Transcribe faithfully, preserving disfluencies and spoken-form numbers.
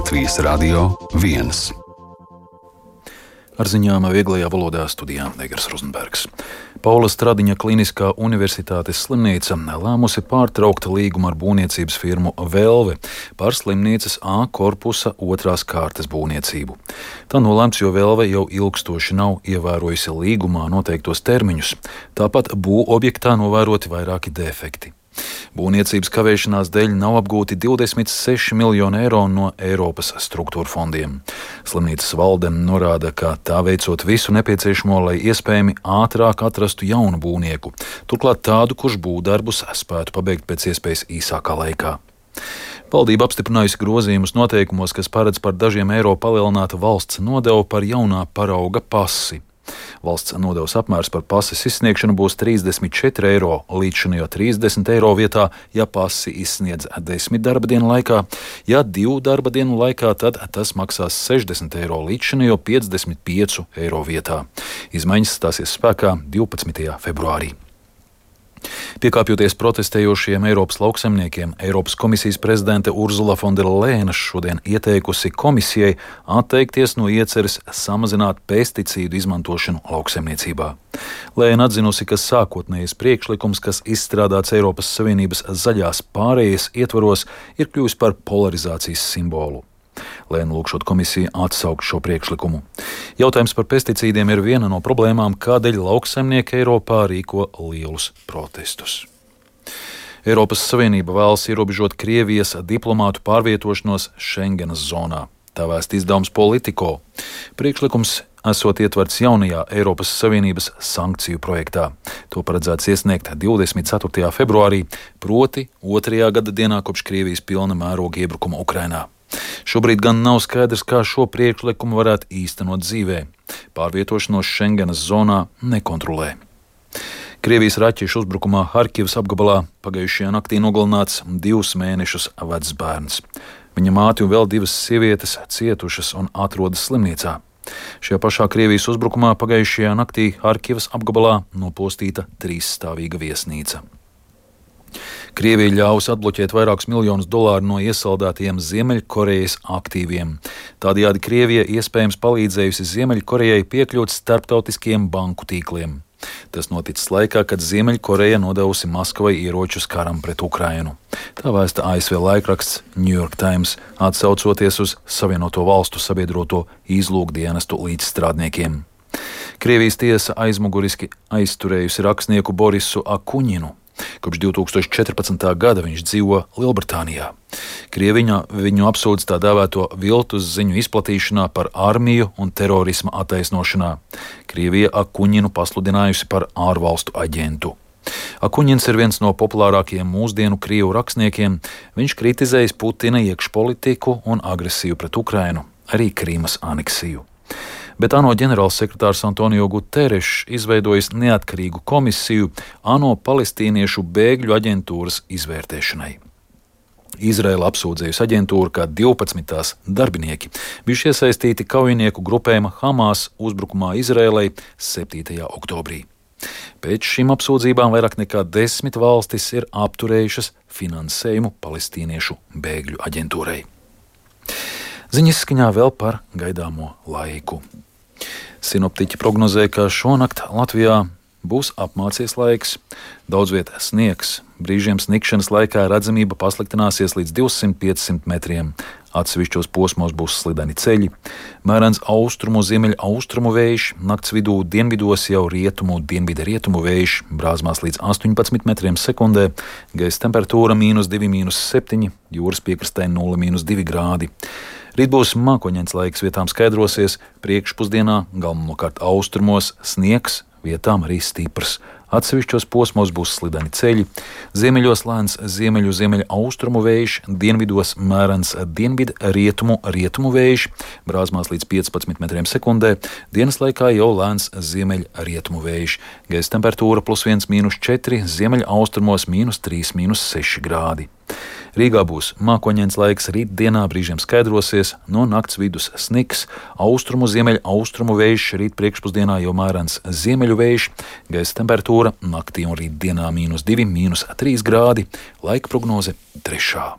Latvijas Radio viens. Ar ziņām vieglajā valodā studijā Egers Rozenbergs. Paula Stradiņa Kliniskā universitātes slimnīca lēmusi pārtraukt līgumu ar būvniecības firmu Velve par slimnīcas A korpusa otrās kārtas būvniecību. Tā nolēmts, jo Velve jau ilgstoši nav ievērojusi līgumā noteiktos termiņus. Tāpat būvobjektā novēroti vairāki defekti. Būvniecības kavēšanās dēļ nav apgūti divdesmit seši miljoni eiro no Eiropas struktūra fondiem. Slimnīcas valde norāda, ka tā veicot visu nepieciešamo, lai iespējami ātrāk atrastu jaunu būvnieku, turklāt tādu, kurš būvdarbus spētu pabeigt pēc iespējas īsākā laikā. Valdība apstiprinājusi grozījumus noteikumos, kas paredz par dažiem eiro palielināt valsts nodevu par jaunā parauga pasi. Valsts nodevas apmērs par pases izsniegšanu būs trīsdesmit četri eiro, līdzinājā trīsdesmit eiro vietā, ja pasi izsniedz desmit darba dienu laikā. Ja divu darba dienu laikā, tad tas maksās sešdesmit eiro, līdzinājā piecdesmit pieci eiro vietā. Izmaiņas stāsies spēkā divpadsmitajā februārī. Piekāpjoties protestējošiem Eiropas lauksaimniekiem, Eiropas komisijas prezidente Urzula Fondera Lēna šodien ieteikusi komisijai atteikties no ieceres samazināt pesticīdu izmantošanu lauksaimniecībā. Lēna atzinusi, ka sākotnējais priekšlikums, kas izstrādāts Eiropas Savienības zaļās pārējas ietvaros, ir kļuvis par polarizācijas simbolu. Lēna lūgšot komisiju atsaukt šo priekšlikumu. Jautājums par pesticīdiem ir viena no problēmām, kādēļ lauksaimnieki Eiropā rīko lielus protestus. Eiropas Savienība vēlas ierobežot Krievijas diplomātu pārvietošanos Schengenas zonā. Tā vēst izdevums Politico. Priekšlikums esot ietverts jaunajā Eiropas Savienības sankciju projektā. To paredzēts iesniegt divdesmit ceturtajā februārī, proti otrajā gada dienā kopš Krievijas pilna mēroga iebrukuma Ukrainā. Šobrīd gan nav skaidrs, kā šo priekšlikumu varētu īstenot dzīvē. Pārvietošanos Schengenas zonā nekontrolē. Krievijas raķešu uzbrukumā Harkivas apgabalā pagājušajā naktī nogalināts divus mēnešus vecs bērns. Viņa māte un vēl divas sievietes cietušas un atrodas slimnīcā. Šajā pašā Krievijas uzbrukumā pagājušajā naktī Harkivas apgabalā nopostīta trīsstāvīga viesnīca. Krievija ļaus atbloķēt vairākus miljonus dolāru no iesaldētajiem Ziemeļkorejas aktīviem. Tādējādi Krievija iespējams palīdzējusi Ziemeļkorejai piekļūt starptautiskiem banku tīkliem. Tas noticis laikā, kad Ziemeļkoreja nodevusi Maskavai ieročus karam pret Ukrainu. Tā vēsta A S V laikraksts New York Times, atsaucoties uz Savienoto Valstu sabiedroto izlūkdienestu līdzstrādniekiem. Krievijas tiesa aizmuguriski aizturējusi rakstnieku Borisu Akuņinu. Kopš divi tūkstoši četrpadsmitā gada viņš dzīvo Lielbritānijā. Krieviņa viņu apsūdz tā dēvēto viltus ziņu izplatīšanā par armiju un terorisma attaisnošanā. Krievija Akuņinu pasludinājusi par ārvalstu aģentu. Akuņins ir viens no populārākajiem mūsdienu krievu rakstniekiem. Viņš kritizējis Putina iekšpolitiku un agresiju pret Ukrainu, arī Krīmas aneksiju. Bet ANO ģenerālsekretārs Antonio Guterres izveidojis neatkarīgu komisiju ANO palestīniešu bēgļu aģentūras izvērtēšanai. Izraela apsūdzējusi aģentūru, ka divpadsmit tās darbinieki bijuši iesaistīti kaujinieku grupējuma Hamas uzbrukumā Izraēlai septītajā oktobrī. Pēc šīm apsūdzībām vairāk nekā desmit valstis ir apturējušas finansējumu palestīniešu bēgļu aģentūrai. Ziņas skaņā vēl par gaidāmo laiku. Sinoptiķi prognozē, ka šonakt Latvijā būs apmācies laiks, daudz viet sniegs, brīžiem snikšanas laikā redzamība pasliktināsies līdz divsimt līdz piecsimt metriem, atsevišķos posmos būs slideni ceļi, mērens austrumu ziemeļu austrumu vējš, nakts vidū dienvidos jau rietumu dienvida rietumu vējš, brāzmās līdz astoņpadsmit metriem sekundē, gaisa temperatūra mīnus divi, mīnus septiņi, jūras piekrastē nulle, mīnus divi grādi. Rīt būs mākoņains laiks, vietām skaidrosies, priekšpusdienā galvenokārt austrumos sniegs, vietām arī stiprs. Atsevišķos posmos būs slideni ceļi, ziemeļos lēns ziemeļu ziemeļu austrumu vējš, dienvidos mērens dienvidu rietumu rietumu vējš, brāzmās līdz piecpadsmit metriem sekundē, dienas laikā jau lēns ziemeļu rietumu vējš, gaisa temperatūra plus viens, mīnus četri, ziemeļu austrumos mīnus trīs, mīnus seši grādi. Rīgā būs mākoņains laiks, rīt dienā brīžiem skaidrosies, no nakts vidus sniks, austrumu ziemeļu austrumu vējš, rīt priekšpusdienā jau mērens ziemeļu vējš, gaisa temperatūra naktī un rīt dienā mīnus divi, mīnus trīs grādi, laika prognoze trešā.